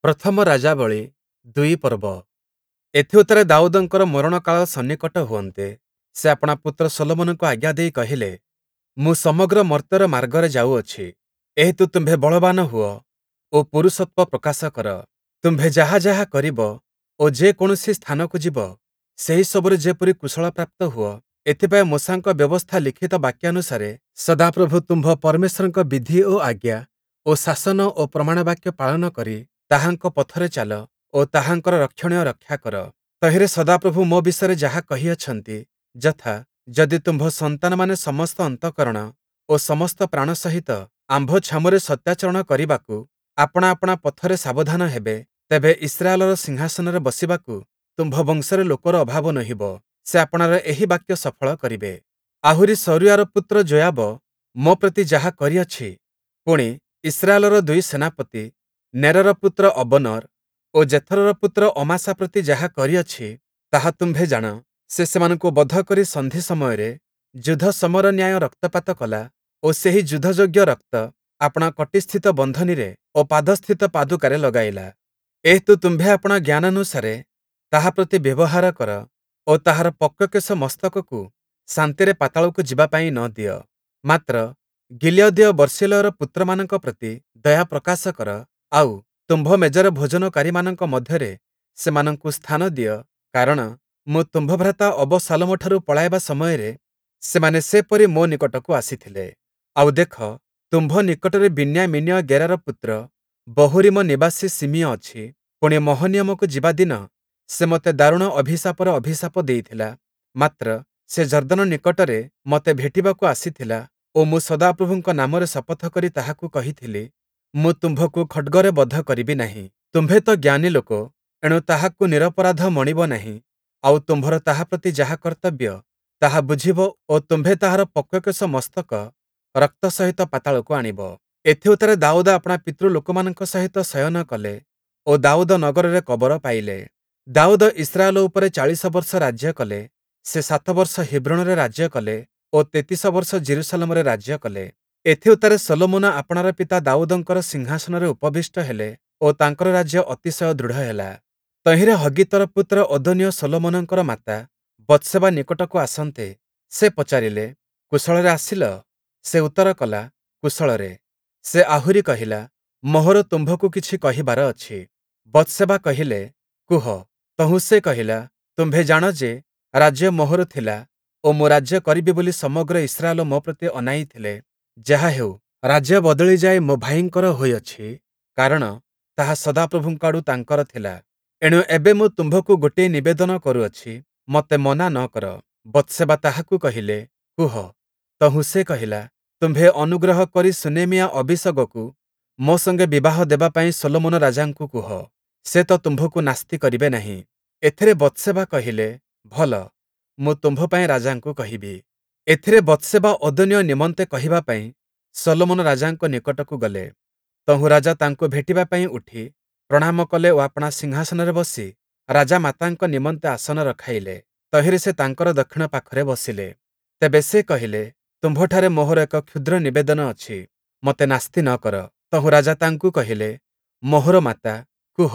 ପ୍ରଥମ ରାଜାବଳୀ ୨ ପର୍ବ। ଏଥିଉତ୍ତାରେ ଦାଉଦଙ୍କର ମରଣକାଳ ସନ୍ନିକଟ ହୁଅନ୍ତେ, ସେ ଆପଣା ପୁତ୍ର ଶଲୋମନଙ୍କୁ ଆଜ୍ଞା ଦେଇ କହିଲେ, ମୁଁ ସମଗ୍ର ମର୍ତ୍ତ୍ୟର ମାର୍ଗରେ ଯାଉଅଛି। ଏହେତୁ ତୁମ୍ଭେ ବଳବାନ ହୁଅ ଓ ପୁରୁଷତ୍ୱ ପ୍ରକାଶ କର। ତୁମ୍ଭେ ଯାହା ଯାହା କରିବ ଓ ଯେ କୌଣସି ସ୍ଥାନକୁ ଯିବ, ସେହି ସବୁରେ ଯେପରି କୁଶଳପ୍ରାପ୍ତ ହୁଅ, ଏଥିପାଇଁ ମୋଶାଙ୍କ ବ୍ୟବସ୍ଥା ଲିଖିତ ବାକ୍ୟାନୁସାରେ ସଦାପ୍ରଭୁ ତୁମ୍ଭ ପରମେଶ୍ୱରଙ୍କ ବିଧି ଓ ଆଜ୍ଞା ଓ ଶାସନ ଓ ପ୍ରମାଣବାକ୍ୟ ପାଳନ କରି ତାହାଙ୍କ ପଥରେ ଚାଲ ଓ ତାହାଙ୍କର ରକ୍ଷଣୀୟ ରକ୍ଷା କର। ତହିଁରେ ସଦାପ୍ରଭୁ ମୋ ବିଷୟରେ ଯାହା କହିଅଛନ୍ତି, ଯଥା, ଯଦି ତୁମ୍ଭ ସନ୍ତାନମାନେ ସମସ୍ତ ଅନ୍ତଃକରଣ ଓ ସମସ୍ତ ପ୍ରାଣ ସହିତ ଆମ୍ଭ ଛାମୁରେ ସତ୍ୟାଚରଣ କରିବାକୁ ଆପଣା ଆପଣା ପଥରେ ସାବଧାନ ହେବେ, ତେବେ ଇସ୍ରାଏଲର ସିଂହାସନରେ ବସିବାକୁ ତୁମ୍ଭ ବଂଶରେ ଲୋକର ଅଭାବ ନୋହିବ। ସେ ଆପଣାର ଏହି ବାକ୍ୟ ସଫଳ କରିବେ। ଆହୁରି ସରୁୟାର ପୁତ୍ର ଯୋୟାବ ମୋ ପ୍ରତି ଯାହା କରିଅଛି, ପୁଣି, ଇସ୍ରାଏଲର ଦୁଇ ସେନାପତି ନେରର ପୁତ୍ର ଅବନର୍ ଓ ଯେଥରର ପୁତ୍ର ଅମାସା ପ୍ରତି ଯାହା କରିଅଛି, ତାହା ତୁମ୍ଭେ ଜାଣ। ସେ ସେମାନଙ୍କୁ ବଧ କରି ସନ୍ଧି ସମୟରେ ଯୁଦ୍ଧ ସମର ନ୍ୟାୟ ରକ୍ତପାତ କଲା ଓ ସେହି ଯୁଦ୍ଧଯୋଗ୍ୟ ରକ୍ତ ଆପଣା କଟିସ୍ଥିତ ବନ୍ଧନୀରେ ଓ ପାଦସ୍ଥିତ ପାଦୁକାରେ ଲଗାଇଲା। ଏହେତୁ ତୁମ୍ଭେ ଆପଣା ଜ୍ଞାନାନୁସାରେ ତାହା ପ୍ରତି ବ୍ୟବହାର କର ଓ ତାହାର ପକ୍ୱକେଶ ମସ୍ତକକୁ ଶାନ୍ତିରେ ପାତାଳକୁ ଯିବା ପାଇଁ ନ ଦିଅ। ମାତ୍ର ଗିଲୀୟଦୀୟ ବର୍ସିଲ୍ଲୟର ପୁତ୍ରମାନଙ୍କ ପ୍ରତି ଦୟା ପ୍ରକାଶ କର, ଆଉ, ତୁମ୍ଭ ମେଜରେ ଭୋଜନକାରୀମାନଙ୍କ ମଧ୍ୟରେ ସେମାନଙ୍କୁ ସ୍ଥାନ ଦିଅ, କାରଣ ମୁଁ ତୁମ୍ଭ ଭ୍ରାତା ଅବଶାଲୋମଠାରୁ ପଳାଇବା ସମୟରେ ସେମାନେ ସେପରି ମୋ ନିକଟକୁ ଆସିଥିଲେ। ଆଉ ଦେଖ, ତୁମ୍ଭ ନିକଟରେ ବିନ୍ୟାମୀନୀୟ ଗେରାର ପୁତ୍ର ବହୂରୀମ ନିବାସୀ ଶିମୀୟ ଅଛି। ପୁଣି, ମହନୀୟମକୁ ଯିବା ଦିନ ସେ ମୋତେ ଦାରୁଣ ଅଭିଶାପର ଅଭିଶାପ ଦେଇଥିଲା। ମାତ୍ର ସେ ଯର୍ଦ୍ଦନ ନିକଟରେ ମୋତେ ଭେଟିବାକୁ ଆସିଥିଲା ଓ ମୁଁ ସଦାପ୍ରଭୁଙ୍କ ନାମରେ ଶପଥ କରି ତାହାକୁ କହିଥିଲି, ମୁଁ ତୁମ୍ଭକୁ ଖଡ୍ଗରେ ବଧ କରିବି ନାହିଁ। ତୁମ୍ଭେ ତ ଜ୍ଞାନୀ ଲୋକ, ଏଣୁ ତାହାକୁ ନିରପରାଧ ମଣିବ ନାହିଁ, ଆଉ ତୁମ୍ଭର ତାହା ପ୍ରତି ଯାହା କର୍ତ୍ତବ୍ୟ, ତାହା ବୁଝିବ ଓ ତୁମ୍ଭେ ତାହାର ପକ୍ୱକେଶ ମସ୍ତକ ରକ୍ତ ସହିତ ପାତାଳକୁ ଆଣିବ। ଏଥିଉତ୍ତାରେ ଦାଉଦ ଆପଣା ପିତୃଲୋକମାନଙ୍କ ସହିତ ଶୟନ କଲେ ଓ ଦାଉଦ ନଗରରେ କବର ପାଇଲେ। ଦାଉଦ ଇସ୍ରାଏଲ ଉପରେ ୪୦ ବର୍ଷ ରାଜ୍ୟ କଲେ। ସେ ୭ ବର୍ଷ ହିବ୍ରୋଣରେ ରାଜ୍ୟ କଲେ ଓ ୩୩ ବର୍ଷ ଯିରୂଶାଲମରେ ରାଜ୍ୟ କଲେ। ଏଥିଉତ୍ତାରେ ଶଲୋମନ ଆପଣାର ପିତା ଦାଉଦଙ୍କର ସିଂହାସନରେ ଉପବିଷ୍ଟ ହେଲେ ଓ ତାଙ୍କର ରାଜ୍ୟ ଅତିଶୟ ଦୃଢ଼ ହେଲା। ତହିଁରେ ହଗ୍ଗୀତର ପୁତ୍ର ଅଦୋନୀୟ ଶଲୋମନଙ୍କର ମାତା ବତ୍ଶେବା ନିକଟକୁ ଆସନ୍ତେ, ସେ ପଚାରିଲେ, କୁଶଳରେ ଆସିଲ? ସେ ଉତ୍ତର କଲା, କୁଶଳରେ। ସେ ଆହୁରି କହିଲା, ମୋହର ତୁମ୍ଭକୁ କିଛି କହିବାର ଅଛି। ବତ୍ଶେବା କହିଲେ, କୁହ। ତହୁଁ ସେ କହିଲା, ତୁମ୍ଭେ ଜାଣ ଯେ, ରାଜ୍ୟ ମୋହର ଥିଲା ଓ ମୁଁ ରାଜ୍ୟ କରିବି ବୋଲି ସମଗ୍ର ଇସ୍ରାଏଲ ମୋ ପ୍ରତି ଅନାଇଥିଲେ। ଯାହାହେଉ, ରାଜ୍ୟ ବଦଳି ଯାଇ ମୋ ଭାଇଙ୍କର ହୋଇଅଛି, କାରଣ ତାହା ସଦାପ୍ରଭୁଙ୍କ ଆଡ଼ୁ ତାଙ୍କର ଥିଲା। ଏଣୁ ଏବେ ମୁଁ ତୁମ୍ଭକୁ ଗୋଟିଏ ନିବେଦନ କରୁଅଛି, ମୋତେ ମନା ନ କର। ବତ୍ଶେବା ତାହାକୁ କହିଲେ, କୁହ। ତହୁଁ ସେ କହିଲା, ତୁମ୍ଭେ ଅନୁଗ୍ରହ କରି ଶୂନେମୀୟା ଅବୀଶଗକୁ ମୋ ସଙ୍ଗେ ବିବାହ ଦେବା ପାଇଁ ଶଲୋମନ ରାଜାଙ୍କୁ କୁହ। ସେ ତ ତୁମ୍ଭକୁ ନାସ୍ତି କରିବେ ନାହିଁ। ଏଥିରେ ବତ୍ଶେବା କହିଲେ, ଭଲ, ମୁଁ ତୁମ୍ଭ ପାଇଁ ରାଜାଙ୍କୁ କହିବି। ଏଥିରେ ବତ୍ଶେବା ଅଦୋନୀୟ ନିମନ୍ତେ କହିବା ପାଇଁ ଶଲୋମନ ରାଜାଙ୍କ ନିକଟକୁ ଗଲେ। ତହୁଁ ରାଜା ତାଙ୍କୁ ଭେଟିବା ପାଇଁ ଉଠି ପ୍ରଣାମ କଲେ ଓ ଆପଣା ସିଂହାସନରେ ବସି ରାଜାମାତାଙ୍କ ନିମନ୍ତେ ଆସନ ରଖାଇଲେ। ତହିଁରେ ସେ ତାଙ୍କର ଦକ୍ଷିଣ ପାଖରେ ବସିଲେ। ତେବେ ସେ କହିଲେ, ତୁମ୍ଭଠାରେ ମୋହର ଏକ କ୍ଷୁଦ୍ର ନିବେଦନ ଅଛି, ମୋତେ ନାସ୍ତି ନ କର। ତହୁଁ ରାଜା ତାଙ୍କୁ କହିଲେ, ମୋହର ମାତା, କୁହ,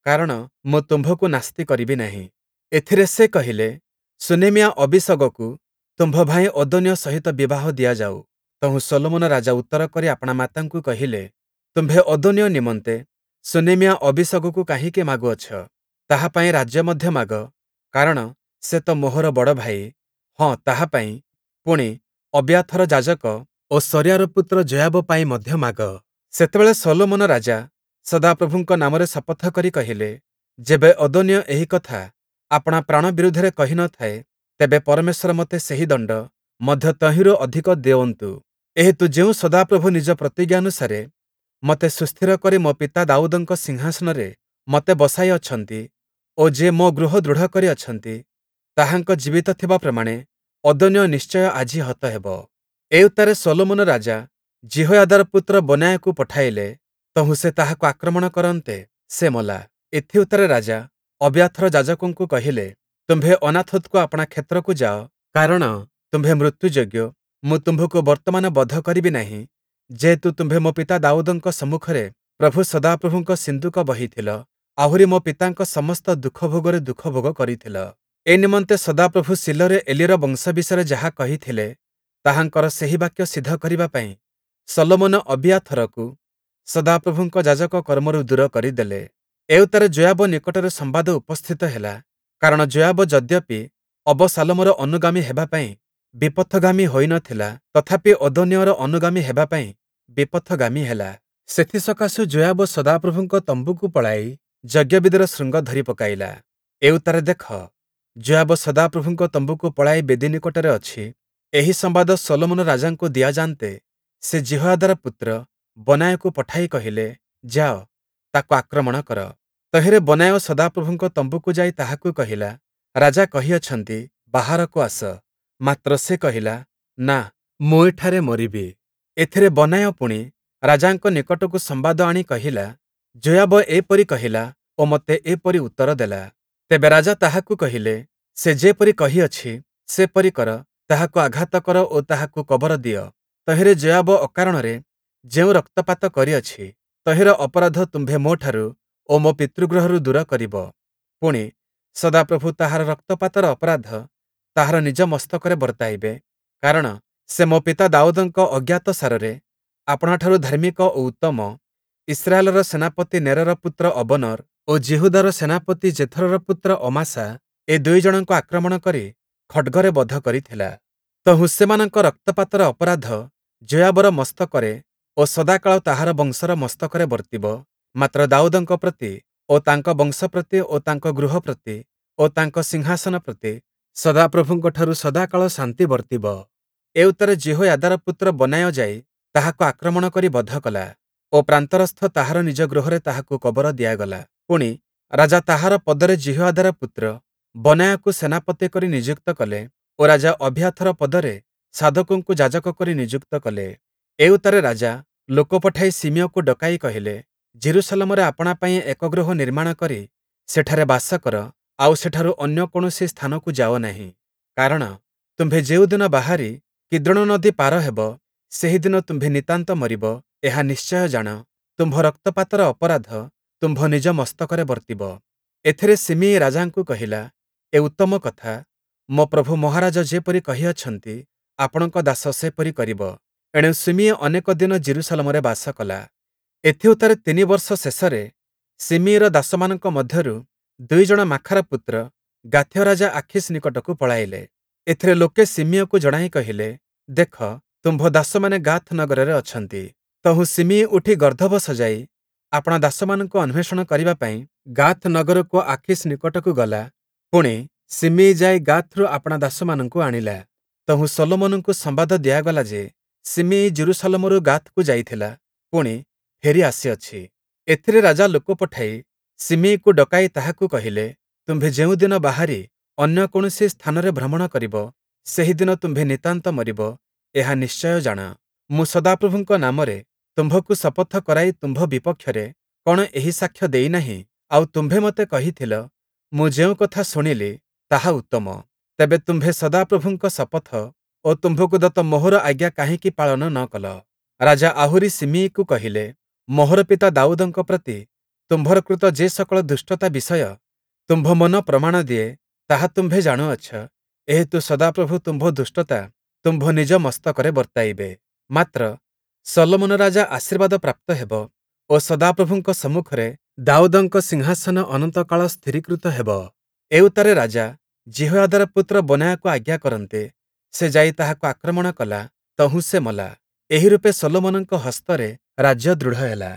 କାରଣ ମୁଁ ତୁମ୍ଭକୁ ନାସ୍ତି କରିବି ନାହିଁ। ଏଥିରେ ସେ କହିଲେ, ଶୂନେମୀୟା ଅବୀଶଗକୁ ତୁମ୍ଭ ଭାଇ ଅଦୋନୀୟ ସହିତ ବିବାହ ଦିଆଯାଉ। ତହୁଁ ଶଲୋମନ ରାଜା ଉତ୍ତର କରି ଆପଣା ମାତାଙ୍କୁ କହିଲେ, ତୁମ୍ଭେ ଅଦୋନୀୟ ନିମନ୍ତେ ଶୂନେମୀୟା ଅବୀଶଗକୁ କାହିଁକି ମାଗୁଅଛ? ତାହା ପାଇଁ ରାଜ୍ୟ ମଧ୍ୟ ମାଗ, କାରଣ ସେ ତ ମୋହର ବଡ଼ ଭାଇ, ହଁ, ତାହା ପାଇଁ, ପୁଣି, ଅବିୟାଥର ଯାଜକ ଓ ସରୁୟାର ପୁତ୍ର ଯୋୟାବ ପାଇଁ ମଧ୍ୟ ମାଗ। ସେତେବେଳେ ଶଲୋମନ ରାଜା ସଦାପ୍ରଭୁଙ୍କ ନାମରେ ଶପଥ କରି କହିଲେ, ଯେବେ ଅଦୋନୀୟ ଏହି କଥା ଆପଣା ପ୍ରାଣ ବିରୁଦ୍ଧରେ କହି ନ ଥାଏ, ତେବେ ପରମେଶ୍ୱର ମୋତେ ସେହି ଦଣ୍ଡ, ମଧ୍ୟ ତହିଁରୁ ଅଧିକ ଦେଉନ୍ତୁ। ଏହେତୁ ଯେଉଁ ସଦାପ୍ରଭୁ ନିଜ ପ୍ରତିଜ୍ଞାନୁସାରେ ମୋତେ ସୁସ୍ଥିର କରି ମୋ ପିତା ଦାଉଦଙ୍କ ସିଂହାସନରେ ମୋତେ ବସାଇ ଅଛନ୍ତି ଓ ଯେ ମୋ ଗୃହ ଦୃଢ଼ କରିଅଛନ୍ତି, ତାହାଙ୍କ ଜୀବିତ ଥିବା ପ୍ରମାଣେ ଅଦୋନୀୟ ନିଶ୍ଚୟ ଆଜି ହତ ହେବ। ଏଉତ୍ତାରେ ଶଲୋମନ ରାଜା ଯିହୋୟାଦାର ପୁତ୍ର ବନାୟାକୁ ପଠାଇଲେ, ତହୁଁ ସେ ତାହାକୁ ଆକ୍ରମଣ କରନ୍ତେ, ସେ ମଲା। ଏଥିଉତ୍ତାରେ ରାଜା ଅବିୟାଥର ଯାଜକଙ୍କୁ କହିଲେ, ତୁମ୍ଭେ ଅନାଥୋତକୁ ଆପଣା କ୍ଷେତ୍ରକୁ ଯାଅ, କାରଣ ତୁମ୍ଭେ ମୃତ୍ୟୁଯୋଗ୍ୟ। ମୁଁ ତୁମ୍ଭକୁ ବର୍ତ୍ତମାନ ବଧ କରିବି ନାହିଁ, ଯେହେତୁ ତୁମ୍ଭେ ମୋ ପିତା ଦାଉଦଙ୍କ ସମ୍ମୁଖରେ ପ୍ରଭୁ ସଦାପ୍ରଭୁଙ୍କ ସିନ୍ଦୁକ ବହିଥିଲ, ଆହୁରି ମୋ ପିତାଙ୍କ ସମସ୍ତ ଦୁଃଖଭୋଗରେ ଦୁଃଖଭୋଗ କରିଥିଲ। ଏ ନିମନ୍ତେ ସଦାପ୍ରଭୁ ଶୀଲୋରେ ଏଲିର ବଂଶ ବିଷୟରେ ଯାହା କହିଥିଲେ, ତାହାଙ୍କର ସେହି ବାକ୍ୟ ସିଦ୍ଧ କରିବା ପାଇଁ ଶଲୋମନ ଅବିୟାଥରକୁ ସଦାପ୍ରଭୁଙ୍କ ଯାଜକ କର୍ମରୁ ଦୂର କରିଦେଲେ। ଏଉତ୍ତାରେ ଯୋୟାବ ନିକଟରେ ସମ୍ବାଦ ଉପସ୍ଥିତ ହେଲା, କାରଣ ଯୋୟାବ ଯଦ୍ୟପି ଅବଶାଲୋମର ଅନୁଗାମୀ ହେବା ପାଇଁ ବିପଥଗାମୀ ହୋଇ ନ ଥିଲା, ତଥାପି ଅଦୋନୀୟର ଅନୁଗାମୀ ହେବା ପାଇଁ ବିପଥଗାମୀ ହେଲା। ସେଥିସକାଶୁ ଯୋୟାବ ସଦାପ୍ରଭୁଙ୍କ ତମ୍ବୁକୁ ପଳାଇ ଯଜ୍ଞବେଦିର ଶୃଙ୍ଗ ଧରି ପକାଇଲା। ଏଉତ୍ତାରେ ଦେଖ, ଯୋୟାବ ସଦାପ୍ରଭୁଙ୍କ ତମ୍ବୁକୁ ପଳାଇ ବେଦି ନିକଟରେ ଅଛି। ଏହି ସମ୍ବାଦ ଶଲୋମନ ରାଜାଙ୍କୁ ଦିଆଯାନ୍ତେ, ସେ ଯିହୋୟାଦାର ପୁତ୍ର ବନାୟକୁ ପଠାଇ କହିଲେ, ଯାଅ, ତାକୁ ଆକ୍ରମଣ କର। ତହିଁରେ ବନାୟ ସଦାପ୍ରଭୁଙ୍କ ତମ୍ବୁକୁ ଯାଇ ତାହାକୁ କହିଲା, ରାଜା କହିଅଛନ୍ତି, ବାହାରକୁ ଆସ। ମାତ୍ର ସେ କହିଲା, ନା, ମୁଁ ଏଠାରେ ମରିବି। ଏଥିରେ ବନାୟ ପୁଣି ରାଜାଙ୍କ ନିକଟକୁ ସମ୍ବାଦ ଆଣି କହିଲା, ଯୋୟାବ ଏପରି କହିଲା ଓ ମୋତେ ଏପରି ଉତ୍ତର ଦେଲା। ତେବେ ରାଜା ତାହାକୁ କହିଲେ, ସେ ଯେପରି କହିଅଛି, ସେପରି କର, ତାହାକୁ ଆଘାତ କର ଓ ତାହାକୁ କବର ଦିଅ। ତହିଁରେ ଯୋୟାବ ଅକାରଣରେ ଯେଉଁ ରକ୍ତପାତ କରିଅଛି, ତହିଁର ଅପରାଧ ତୁମ୍ଭେ ମୋଠାରୁ ଓ ମୋ ପିତୃଗୃହରୁ ଦୂର କରିବ। ପୁଣି, ସଦାପ୍ରଭୁ ତାହାର ରକ୍ତପାତର ଅପରାଧ ତାହାର ନିଜ ମସ୍ତକରେ ବର୍ତ୍ତାଇବେ, କାରଣ ସେ ମୋ ପିତା ଦାଉଦଙ୍କ ଅଜ୍ଞାତସାରରେ ଆପଣାଠାରୁ ଧାର୍ମିକ ଓ ଉତ୍ତମ ଇସ୍ରାଏଲର ସେନାପତି ନେରର ପୁତ୍ର ଅବନର ଓ ଯିହୁଦାର ସେନାପତି ଯେଥରର ପୁତ୍ର ଅମାସା, ଏ ଦୁଇ ଜଣଙ୍କୁ ଆକ୍ରମଣ କରି ଖଡ଼୍ଗରେ ବଧ କରିଥିଲା। ତହୁଁ ସେମାନଙ୍କ ରକ୍ତପାତର ଅପରାଧ ଯୋୟାବର ମସ୍ତକରେ ଓ ସଦାକାଳ ତାହାର ବଂଶର ମସ୍ତକରେ ବର୍ତ୍ତିବ। ମାତ୍ର ଦାଉଦଙ୍କ ପ୍ରତି ଓ ତାଙ୍କ ବଂଶ ପ୍ରତି ଓ ତାଙ୍କ ଗୃହ ପ୍ରତି ଓ ତାଙ୍କ ସିଂହାସନ ପ୍ରତି ସଦାପ୍ରଭୁଙ୍କଠାରୁ ସଦାକାଳ ଶାନ୍ତି ବର୍ତ୍ତିବ। ଏଉତ୍ତାରେ ଯିହୋୟାଦାର ପୁତ୍ର ବନାୟ ଯାଇ ତାହାକୁ ଆକ୍ରମଣ କରି ବଧ କଲା ଓ ପ୍ରାନ୍ତରସ୍ଥ ତାହାର ନିଜ ଗୃହରେ ତାହାକୁ କବର ଦିଆଗଲା। ପୁଣି, ରାଜା ତାହାର ପଦରେ ଯିହୋୟାଦାର ପୁତ୍ର ବନାୟକୁ ସେନାପତି କରି ନିଯୁକ୍ତ କଲେ ଓ ରାଜା ଅବିୟାଥର ପଦରେ ସାଦୋକଙ୍କୁ ଯାଜକ କରି ନିଯୁକ୍ତ କଲେ। ଏଉତ୍ତାରେ ରାଜା ଲୋକ ପଠାଇ ଶିମିୟକୁ ଡକାଇ କହିଲେ, ଯିରୂଶାଲମରେ ଆପଣା ପାଇଁ ଏକ ଗୃହ ନିର୍ମାଣ କରି ସେଠାରେ ବାସ କର, ଆଉ ସେଠାରୁ ଅନ୍ୟ କୌଣସି ସ୍ଥାନକୁ ଯାଅ ନାହିଁ। କାରଣ ତୁମ୍ଭେ ଯେଉଁଦିନ ବାହାରି କିଦ୍ରୋଣ ନଦୀ ପାର ହେବ, ସେହିଦିନ ତୁମ୍ଭେ ନିତାନ୍ତ ମରିବ, ଏହା ନିଶ୍ଚୟ ଜାଣ। ତୁମ୍ଭ ରକ୍ତପାତର ଅପରାଧ ତୁମ୍ଭ ନିଜ ମସ୍ତକରେ ବର୍ତ୍ତିବ। ଏଥିରେ ଶିମିୟି ରାଜାଙ୍କୁ କହିଲା, ଏ ଉତ୍ତମ କଥା, ମୋ ପ୍ରଭୁ ମହାରାଜ ଯେପରି କହିଅଛନ୍ତି, ଆପଣଙ୍କ ଦାସ ସେପରି କରିବ। ଏଣୁ ଶିମିୟି ଅନେକ ଦିନ ଯିରୂଶାଲମରେ ବାସ କଲା। ଏଥିଉତ୍ତାରେ ତିନି ବର୍ଷ ଶେଷରେ ଶିମିୟିର ଦାସମାନଙ୍କ ମଧ୍ୟରୁ ଦୁଇ ଜଣ ମାଖାର ପୁତ୍ର ଗାଥୀୟ ରାଜା ଆଖୀଶ ନିକଟକୁ ପଳାଇଲେ। ଏଥିରେ ଲୋକେ ଶିମିୟିକୁ ଜଣାଇ କହିଲେ, ଦେଖ, ତୁମ୍ଭ ଦାସମାନେ ଗାଥ୍ ନଗରରେ ଅଛନ୍ତି। ତହୁଁ ଶିମିୟି ଉଠି ଗର୍ଦ୍ଦଭ ସଜାଇ ଆପଣା ଦାସମାନଙ୍କୁ ଅନ୍ୱେଷଣ କରିବା ପାଇଁ ଗାଥ୍ ନଗରକୁ ଆଖୀଶ ନିକଟକୁ ଗଲା। ପୁଣି, ଶିମିୟି ଯାଇ ଗାଥ୍‌ରୁ ଆପଣା ଦାସମାନଙ୍କୁ ଆଣିଲା। ତହୁଁ ଶଲୋମନଙ୍କୁ ସମ୍ବାଦ ଦିଆଗଲା ଯେ, ଶିମିୟି ଯିରୂଶାଲମରୁ ଗାଥ୍‌କୁ ଯାଇଥିଲା, ପୁଣି, ଫେରି ଆସିଅଛି। ଏଥିରେ ରାଜା ଲୋକ ପଠାଇ ଶିମିୟିକୁ ଡକାଇ ତାହାକୁ କହିଲେ, ତୁମ୍ଭେ ଯେଉଁଦିନ ବାହାରି ଅନ୍ୟ କୌଣସି ସ୍ଥାନରେ ଭ୍ରମଣ କରିବ, ସେହିଦିନ ତୁମ୍ଭେ ନିତାନ୍ତ ମରିବ, ଏହା ନିଶ୍ଚୟ ଜାଣ। ମୁଁ ସଦାପ୍ରଭୁଙ୍କ ନାମରେ ତୁମ୍ଭକୁ ଶପଥ କରାଇ ତୁମ୍ଭ ବିପକ୍ଷରେ କଣ ଏହି ସାକ୍ଷ୍ୟ ଦେଇନାହିଁ? ଆଉ ତୁମ୍ଭେ ମୋତେ କହିଥିଲ, ମୁଁ ଯେଉଁ କଥା ଶୁଣିଲି, ତାହା ଉତ୍ତମ। ତେବେ ତୁମ୍ଭେ ସଦାପ୍ରଭୁଙ୍କ ଶପଥ ଓ ତୁମ୍ଭକୁ ଦତ୍ତ ମୋହର ଆଜ୍ଞା କାହିଁକି ପାଳନ ନ କଲ? ରାଜା ଆହୁରି ଶିମିୟିକୁ କହିଲେ, ମୋହର ପିତା ଦାଉଦଙ୍କ ପ୍ରତି ତୁମ୍ଭର କୃତ ଯେ ସକଳ ଦୁଷ୍ଟତା ବିଷୟ ତୁମ୍ଭ ମନ ପ୍ରମାଣ ଦିଏ, ତାହା ତୁମ୍ଭେ ଜାଣୁଅଛ। ଏହେତୁ ସଦାପ୍ରଭୁ ତୁମ୍ଭ ଦୁଷ୍ଟତା ତୁମ୍ଭ ନିଜ ମସ୍ତକରେ ବର୍ତ୍ତାଇବେ। ମାତ୍ର ଶଲୋମନ ରାଜା ଆଶୀର୍ବାଦ ପ୍ରାପ୍ତ ହେବ ଓ ସଦାପ୍ରଭୁଙ୍କ ସମ୍ମୁଖରେ ଦାଉଦଙ୍କ ସିଂହାସନ ଅନନ୍ତକାଳ ସ୍ଥିରୀକୃତ ହେବ। ଏଉତ୍ତାରେ ରାଜା ଯିହୋୟାଦାର ପୁତ୍ର ବନାୟକୁ ଆଜ୍ଞା କରନ୍ତେ, ସେ ଯାଇ ତାହାକୁ ଆକ୍ରମଣ କଲା, ତହୁଁ ସେ ମଲା। ଏହି ରୂପେ ଶଲୋମନଙ୍କ ହସ୍ତରେ ରାଜ୍ୟ ଦୃଢ଼ ହେଲା।